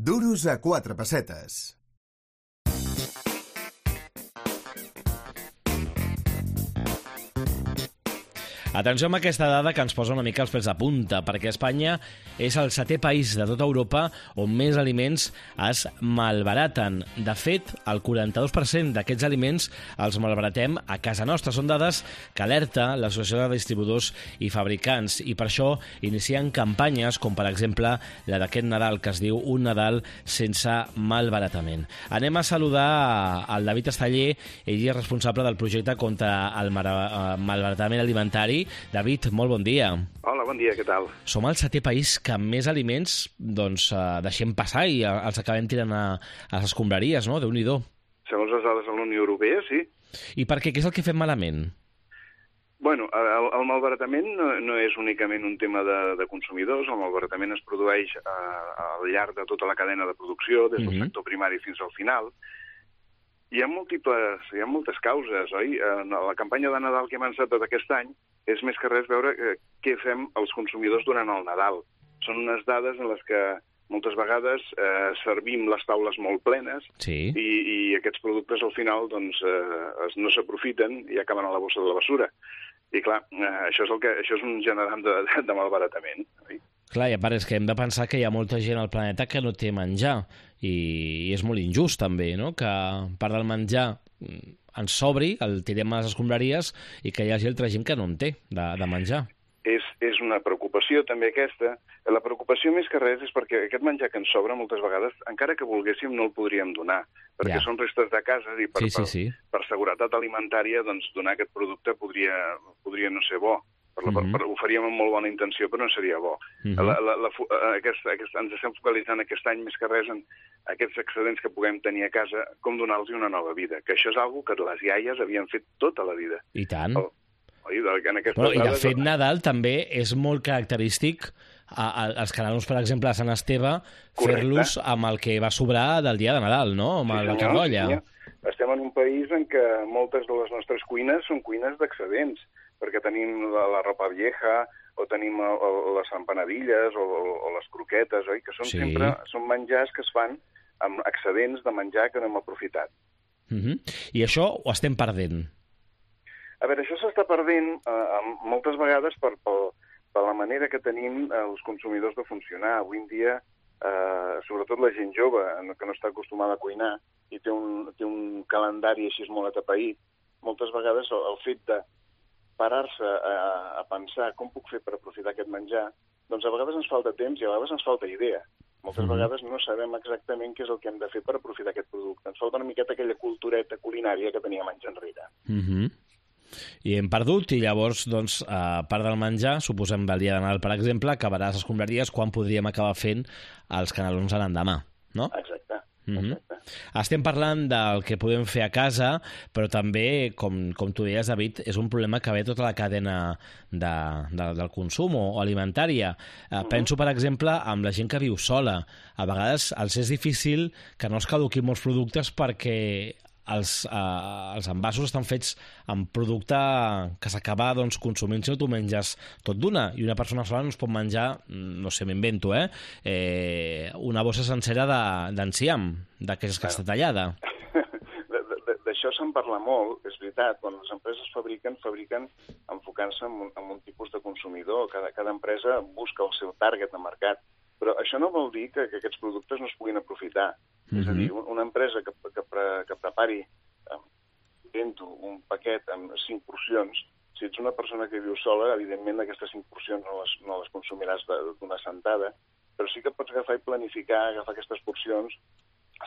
Duros a 4 pessetes. Atenció amb aquesta dada que ens posa una mica els pèls de punta, perquè Espanya és el 7è país de tota Europa on més aliments es malbaraten. De fet, el 42% d'aquests aliments els malbaratem a casa nostra. Són dades que alerta l'Associació de Distribuïdors i Fabricants i per això inicien campanyes com, per exemple, la d'aquest Nadal, que es diu Un Nadal sense malbaratament. Anem a saludar al David Esteller, ell és responsable del projecte contra el malbaratament alimentari. David, molt bon dia. Hola, bon dia, què tal? Som el 7è país que més aliments deixem passar i els acabem tirant a les escombraries, no? Déu-n'hi-do. Segons les dades de la Unió Europea, sí. I per què? Què és el que fem malament? Bueno, el malbaratament no és únicament un tema de consumidors. El malbaratament es produeix al llarg de tota la cadena de producció, des del sector primari fins al final. Hi ha moltes causes, oi? La campanya de Nadal que hem encetat aquest any és més que res veure què fem els consumidors durant el Nadal. Són unes dades en les que moltes vegades servim les taules molt plenes i aquests productes al final no s'aprofiten i acaben a la bossa de la basura. I clar, això és un generant de malbaratament. Oi? Clar, i a part és que hem de pensar que hi ha molta gent al planeta que no té menjar i és molt injust també, no? Que part del menjar ens sobri, el tirem a les escombraries i que hi hagi altra gent que no en té de menjar. És una preocupació també aquesta. La preocupació més que res és perquè aquest menjar que ens sobra moltes vegades, encara que volguéssim, no el podríem donar, perquè són restes de casa i per seguretat alimentària donar aquest producte podria no ser bo. Ho faríem amb molt bona intenció, però no seria bo. Ens estem focalitzant aquest any més que res en aquests excedents que puguem tenir a casa, com donar-los una nova vida, que això és una cosa que les iaies havien fet tota la vida. I tant. I de fet, Nadal també és molt característic als canelons, per exemple, a Sant Esteve, fer-los amb el que va sobrar del dia de Nadal, no? Amb la carrolla. Estem en un país en què moltes de les nostres cuines són cuines d'excedents, perquè tenim la ropa vieja, o tenim les empanadilles, o les croquetes, oi? Que són menjars que es fan amb excedents de menjar que no hem aprofitat. I això ho estem perdent? A veure, això s'està perdent moltes vegades per la manera que tenim els consumidors de funcionar. Avui en dia, sobretot la gent jove, que no està acostumada a cuinar i té un calendari així molt atapeït, moltes vegades el fet de parar-se a pensar com puc fer per aprofitar aquest menjar, doncs a vegades ens falta temps i a vegades ens falta idea. Moltes vegades no sabem exactament què és el que hem de fer per aprofitar aquest producte. Ens falta una miqueta aquella cultureta culinària que teníem anys enrere. I hem perdut, i llavors, part del menjar, suposem del dia de Nadal, per exemple, acabarà a les escombraries quan podríem acabar fent els canelons a l'endemà, no? Exacte. Estem parlant del que podem fer a casa, però també, com tu deies, David, és un problema que ve tota la cadena del consum o alimentària. Penso, per exemple, amb la gent que viu sola. A vegades els és difícil que no es caduquin molts productes perquè els envasos estan fets amb producte que s'acaba consumint si no tu menges tot d'una, i una persona sola no es pot menjar, no sé, m'invento, una bossa sencera d'enciam, d'aquesta que està tallada. D'això se'n parla molt, és veritat. Quan les empreses fabriquen enfocant-se en un tipus de consumidor. Cada empresa busca el seu target de mercat. Però això no vol dir que aquests productes no es puguin aprofitar. És a dir, una empresa que prepari un paquet amb 5 porcions, si ets una persona que viu sola, evidentment aquestes 5 porcions no les consumiràs d'una sentada, però sí que pots agafar i planificar, agafar aquestes porcions,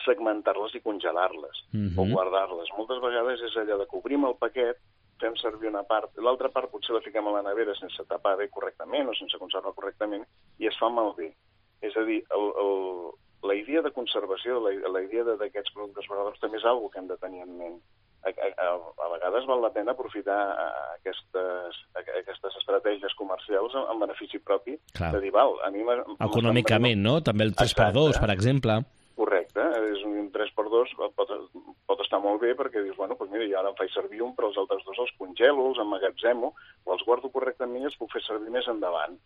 segmentar-les i congelar-les o guardar-les. Moltes vegades és allò de que obrim el paquet, fem servir una part, l'altra part potser la fiquem a la nevera sense tapar bé correctament o sense conservar correctament i es fa malbé. És a dir, la idea de conservació, la idea d'aquests productes verdaderos també és una cosa que hem de tenir en ment. A vegades val la pena aprofitar aquestes estratègies comercials en benefici propi. De dir, econòmicament, no? També el 3x2, per exemple. Correcte, és un 3x2, pot estar molt bé perquè dius, bueno, doncs mira, jo ara em faig servir un, però els altres dos els congelo, els emmagatzemo, o els guardo correctament i els puc fer servir més endavant.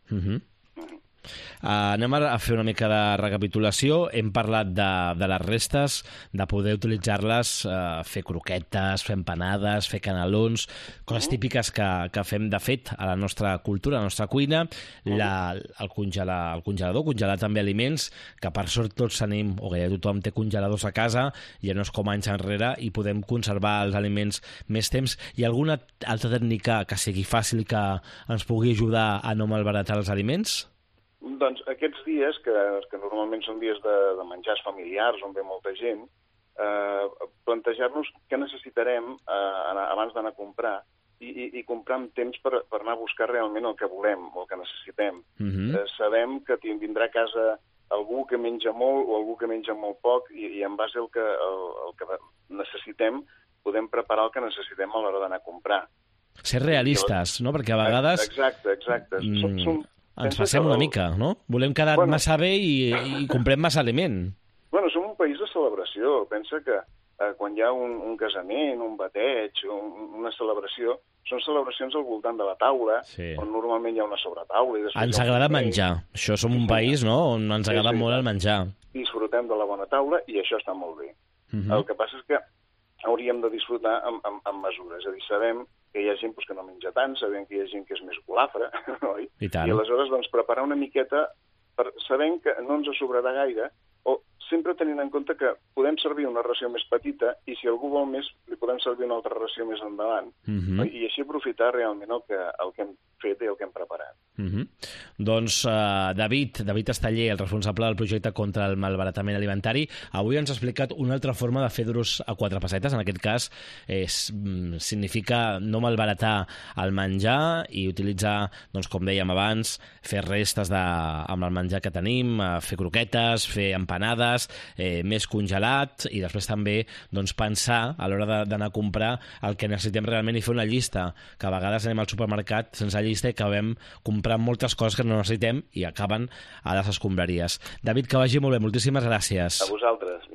Anem a fer una mica de recapitulació. Hem parlat de les restes, de poder utilitzar-les, fer croquetes, fer empanades, fer canelons, coses típiques que fem de fet a la nostra cultura, a la nostra cuina, el congelador, congelar també aliments, que per sort tots tenim, o gairebé tothom té congeladors a casa, ja no és com anys enrere, i podem conservar els aliments més temps. Hi ha alguna altra tècnica que sigui fàcil que ens pugui ajudar a no malbaratar els aliments? Doncs aquests dies, que normalment són dies de menjars familiars on ve molta gent, plantejar-nos què necessitarem abans d'anar a comprar i comprar amb temps per anar a buscar realment el que volem o el que necessitem. Sabem que vindrà a casa algú que menja molt o algú que menja molt poc i en base al que necessitem podem preparar el que necessitem a l'hora d'anar a comprar. Ser realistes, no? Perquè a vegades... Exacte. Ens passem una mica, no? Volem quedar massa bé i comprem massa aliment. Bueno, som un país de celebració. Pensa que quan hi ha un casament, un bateig, una celebració, són celebracions al voltant de la taula, on normalment hi ha una sobretaula. Ens agrada menjar. Això som un país, no?, on ens agrada molt el menjar. Disfrutem de la bona taula i això està molt bé. El que passa és que hauríem de disfrutar amb mesures. És a dir, sabem que hi ha gent que no menja tant, sabem que hi ha gent que és més golafra, oi? I aleshores, doncs, preparar una miqueta sabent que no ens sobrarà gaire, o sempre tenint en compte que podem servir una ració més petita i si algú vol més, li podem servir una altra ració més endavant. I així aprofitar realment el que hem fet i el que hem preparat. Doncs David Esteller, el responsable del projecte contra el malbaratament alimentari, avui ens ha explicat una altra forma de fer duros a 4 pessetes. En aquest cas significa no malbaratar el menjar i utilitzar, doncs, com dèiem abans, fer restes amb el menjar que tenim, fer croquetes, fer empanades, més congelat, i després també, doncs, pensar a l'hora d'anar a comprar el que necessitem realment i fer una llista, que a vegades anem al supermercat sense llista i acabem comprant moltes coses que no necessitem i acaben a les escombraries. David, que vagi molt bé. Moltíssimes gràcies. A vosaltres.